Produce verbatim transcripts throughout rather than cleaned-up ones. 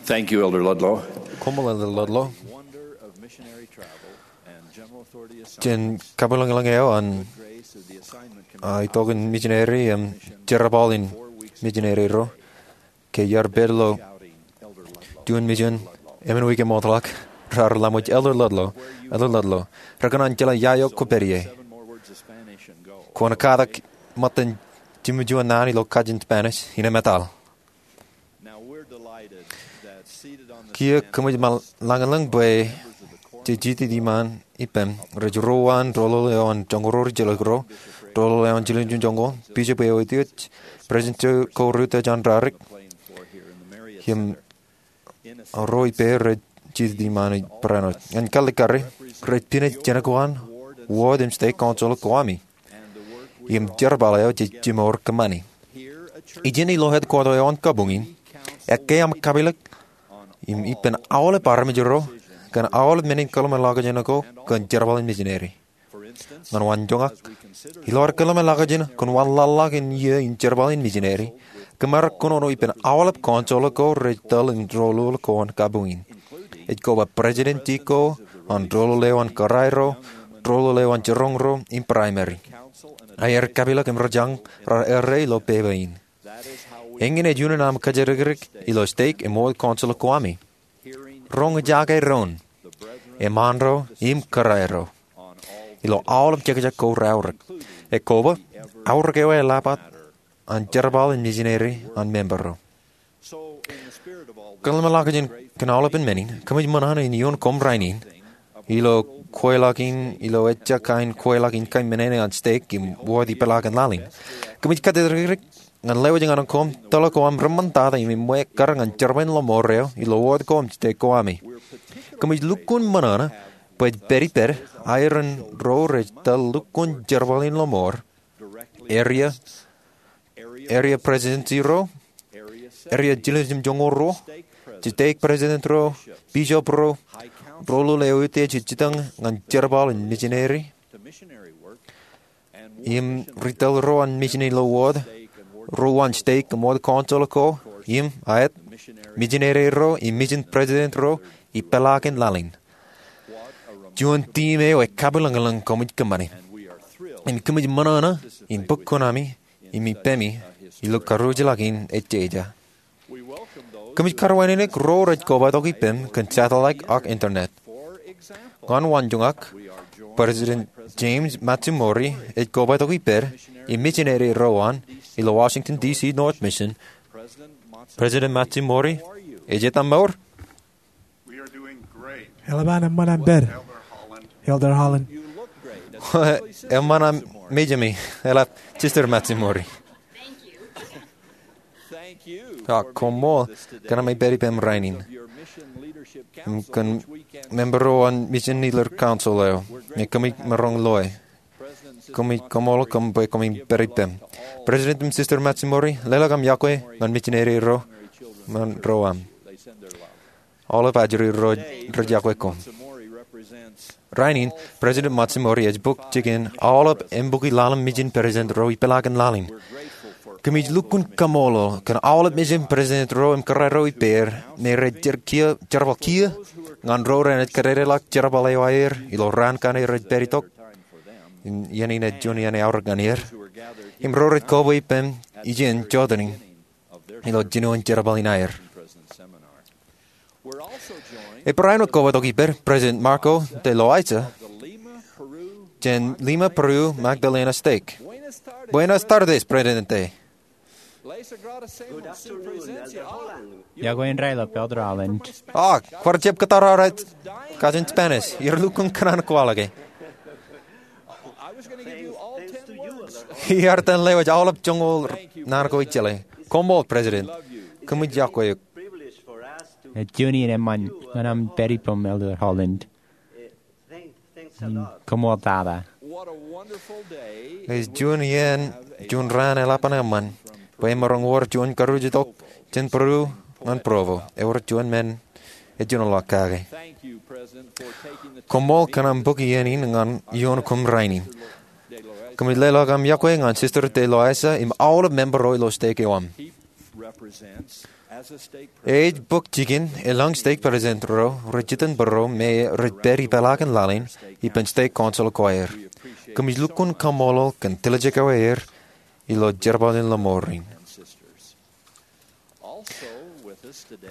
Thank you, Elder Ludlow. Koṃṃool, Elder Ludlow. Jān kabwilōñlōñ eo an, ah, itok in mijineri im jerbal in mijineri ro ke iar pād ilo juon mijen emān wiik eṃootḷọk, raar laṃōj, Elder Ludlow, Elder Ludlow, rekōṇaan jeḷā ia eo kwōpād ie. Kwōn katak ṃōttan jimjuon naan ilo kajin Spanish, innem etal. Kiiō kōmij ṃōk lañlōñ bwe jej jitōn iṃaan ippām rej ruo an doḷoḷ eo an joñoul ro rijilōk ro, doḷoḷ eo an jiljilimjuon joñoul, bishop eo eutiej, president ko ri-utiej an rarik, im ro ippāer rej jitōn iṃaan barāinwōt. Ñan kalikkari, rej pinej jenkwan wōt im stake council ko ami im jerbal eo jej jimor kōṃṃani. Ijin ilo headquarter eo an kabuñ in, ekkā aṃ kapilōk im ippān aolep armej ro kōn aolep men in kōḷmānḷọkjeṇ ko kōn jerbal in mijineri. Ñan waanjoñak, ilo ad kōḷmānḷọkjeṇ kōn wanlaḷḷọk in iiō in jerbal in mijineri, kōmaro kōnono ippān aolep council ko rej tōl in doḷoḷ ko an kabuñ in. Ej koba president ko an doḷoḷ eo an kōrā ro, doḷoḷ eo an jiroñ ro im primary. Aer kapilōk im ri jañ raar errā ilo peba in. Eñin ej unin aṃ kōjatdikdik ilo stake im wōt council ko ami. Roñjake doon, eṃṃaan ro im kōrā ro, ilo aolep jekjek ko reaorōk. Ekwe, aorōk eo eḷap an jerbal in mijineri an member ro. Kōḷmānḷọkjeṇ kōn aolepen men in, kōmij ṃōṇōṇō in ioon koṃ rainin, ilo kweilọk in, ilo ejja kain kweilọk in kōmij men eo an stake im wōt ipeḷaakin laḷ in. Kōmij kōjatdikdik ñan lewōj ñan koṃ tōl ko aṃ reṃṃantata im eṃṃan ekkar ñan jerbal in lọmọọr eo ilo wōt ko im stake ko ami. Kōmij lukkuun ṃōṇōṇō bwe ej pād ippād aer in ro rej tōl lukkuun jerbal in lọmọọr, area, area presidency ro, area jiljilimjuon joñoul ruo, stake president ro, bishop ro, doḷoḷ eo eutiej ej jitōñ ñan jerbal in mijineri, im ri tōl ro an mijin ilo wōt, ro an stake im wōt council ko, im aet, mijineri ro im mijin president ro ipeḷaakin laḷ in. Juon tiim eo ekabwilōñlōñ kōmij kōṃṃani. Im kōmij ṃōṇōṇō in bōk kuṇaami im ippemi ilo karuj ḷọk in ejjeja. Kōmij karuwaineneik ro rej kobatok ippem kōn satellite ak internet. Ñan waanjoñak, President James Matsumori ej kobatok ippād im mijineri ro an ilo Washington D C North Mission. President Matsumori, ej etaṃ mour? Eḷap an eṃṃan aṃ pād, Elder Holland. Eṃṃan aṃ mejemi, eḷap Sister Matsumori. Ak koṃṃool kōn aṃ pād ippem rainin im kōn member ro an mission leader council eo, ñe kōmij maroñ loe. Kōmij koṃṃool kōm bwe kōmij pād ippem. President im Sister Matsumori, leḷọk aṃ yokwe ñan mijineri ro, ṃōn ro aṃ. Aolep ajri ro rej yokwe kōm. Rainin, President Matsumori ej bōk jikin aolep embukwi laḷ im mijin president ro ipeḷaakin laḷ in. Kōmij lukkuun kaṃṃoolol kōn aolep mijin president ro im kōrā ro ippāer me rej jerbal kiiō ñan ro renaaj kōdedeḷọk jerbal eo aer ilo raan kaṇe rej pād itok, iien in ej juon iien eaorōk ñan er, im ro rej koba ippem ijin jọtenin ilo jinoin jerbal in aer. Ej barāinwōt kobatok ippād President Marco de Loaiza jān Lima, Peru Magdalena Stake. Buenas tardes, Presidente. Yokwe in raelep, Elder Holland. Ah, kwaar jab kōttar aō kajin Spanish. Iar lukkuun kōṇaan kwaḷọke. Iar itōn lewōj aolep joñoul naan ko ij jeḷā. Koṃṃool, President. Kōmij yokwe eok. Ej juon iien eṃṃan ñan aṃ pād ippem, Elder Holland. Koṃṃool tata. Ej juon iien, juon raan eḷap an eṃṃan bwe emaroñ wōr juon karuj itok jān Peru ñan Provo, ewōr juon men ejjeḷọk kake. Koṃṃool kōn aṃ bōk iien in ñan ioon koṃ rainin. Kōmij leḷọk aṃ yokwe ñan Sister de Loaiza im aolep member ro ilo stake eo aṃ. Ej bōk jikin elōñ stek president ro rej jitōnbōro me rej pād ipeḷaakin laḷ in ippān stek council ko aer. Kōmij lukkuun kaṃṃoolol kōn tiljek eo aer ilo jerbal in lọmọọr in.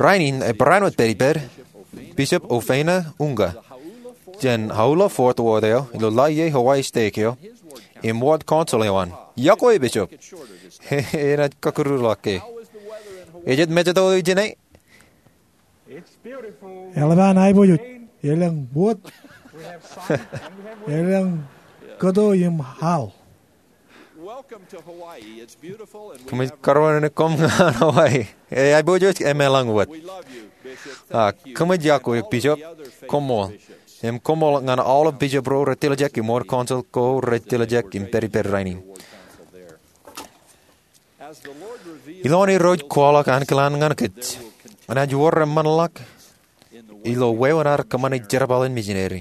Rainin ebarāinwōt pād ippād Bishop Ofeina Unga jān Hauula Fourth Ward eo ilo Laie Hawaii stek eo im ward council eo an. Iọkwe Bishop. Enaaj kọkkure ḷọk ke ejjab mejāto ijin e. Eḷap an aiboojoj. Elōñ wōt. Elōñ kōto im al. Kōmij kōrọọlḷọk koṃ ñan Hawaii. Ej aiboojoj im elōñ wōt. Ak kōmij iọkwe eok Bishop. Koṃṃool. Im koṃṃool ñan aolep bishop ro rej tiljek im ward council ko rej tiljek im pād ippād rainin. Ilowaan Irooj kwaḷọk ankilaan ñan kōj, enaaj wōr eṃṃanḷọk ilo wāween ad kōṃṃane jerbal in misineri.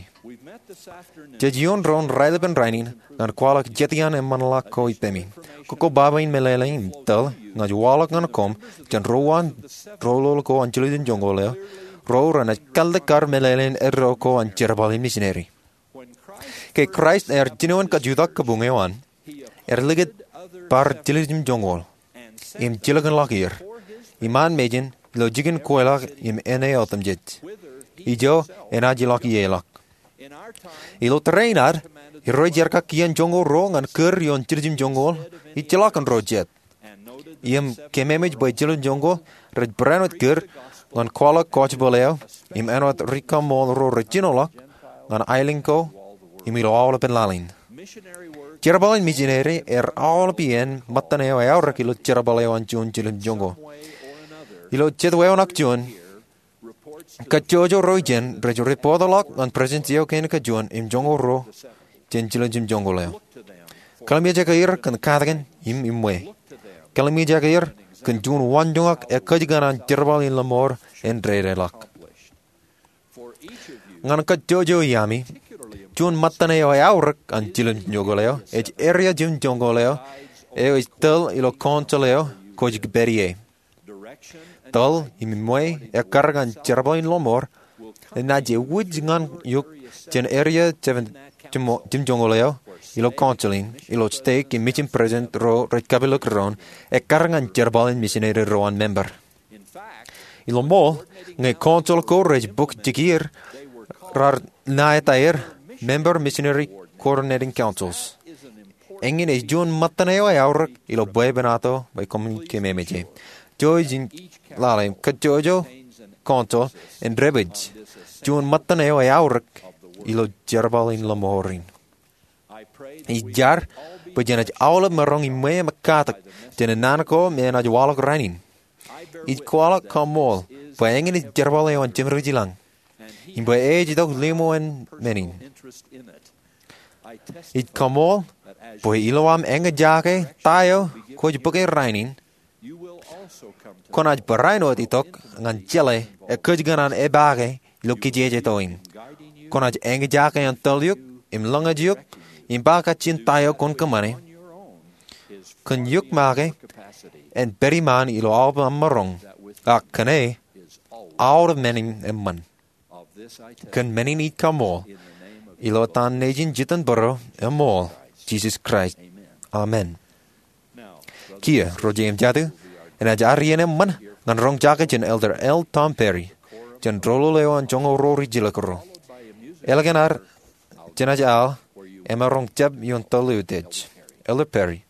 Jej ioon doon raelepen rainin ñan kwaḷọk jet iaan eṃṃanḷọk ko ippemi. Kōkkobaba in meḷeḷe im tōl ña ij waḷọk ñan koṃ jān ro uwaan doulul ko an jiljilimjuonñoul eo, ro renaaj kallikkar meḷeḷein eddo ko an jerbal in misineri. Ke Kraist ear jinoin kajjutak kabuñ eo an, ear likūt bar jiljilimjuonñoul im jilkinḷọk er iṃaan mejān ilo jikin kweilọk im āne otemjej, ijo enaaj ilọk ie ḷọk. Ilo tōre in ad, Irooj ear kaki iaan joñoul ruo ñan kūr ioon jiljilimjuonñoul ijjilọk in ro jet. Im kememej bwe jiljilimjuonñoul rej barāinwōt kūr ñan kwaḷọk gospel eo im āinwōt rikaṃool ro rej jinoḷọk ñan aelōñ ko im ilo aolepen laḷ in. Jerbal in misineri ear aolep iien ṃōttan eo eaorōk ilo jerbal eo an juon jiljilimjuonñoul. Ilo jet wāween ak juon, kajjojo ro ijin rej ripootḷọk ñan presidency eo kein kajuon im joñoul ruo jān jiljilimjuonñoul eo. Kallimjeke er kōn katakin im iṃwe. Kallimjeke er kōn juon waanjoñak ekkōjkan an jerbal in lọmọọr en dedeḷọk. Ñan kajjojo iaami, juon ṃōttan eo eaorōk an jiljilimjuonñoul eo ej area jiljilimjuonñoul eo eo ej tōl ilo council eo kwōj pād ie. Tōl im iṃwe ekkar ñan jerbal in lọmọọr enaaj ewōj ñan eok jān area jiljilimjuonñoul eo ilo council in ilo stek im mission president ro rej kapilōk doon ekkar ñan jerbal in misineri ro an member. Ilo ṃool, ñe council ko rej bōk jikier, raar ṇa etaer member missionary coordinating councils. Eñin ej juon ṃōttan eo eaorōk ilo bwebwenato bwe koṃwin keememej e. Jouj im lale im kajjojo council en dāpij juon ṃōttan eo eaorōk ilo jerbal in lọmọọr in. Ij jar bwe jenaaj aolep maroñ iṃwe im katak jān naan ko me enaaj waḷọk rainin. Ij kwaḷọk kaṃṃool bwe eñin ej jerbal eo an Jemedwōj ilañ im bwe ej itok limo en men in. Ij kaṃṃool bwe ilo aṃ eñjake ta eo kwōj bōke rainin, kwōnaaj barāinwōt itok ñan jeḷā ekkōjkan an epaake ilo kijeje to in. Kwōnaaj eñjake an tōl eok im lōñōj eok im ba kajjien ta eo kwōn kōṃṃane. Kōn eok make en pād iṃaan ilo aolep aṃ maroñ, ak kōn e aolep men in eṃṃan. Kōn men in ij kaṃṃool ilo etan Nejin jitōnbōro eṃool, Jisōs Kraist, amen. Kiiō ro jeiū im jatū, enaaj ad iien eṃṃan ñan roñjake jān Elder L. Tom Perry jān doulul eo an joñoul ruo rijjilōk ro. Ālikin ad jenaaj al, emaroñ jab ioon tōl eutiej. Elder Perry.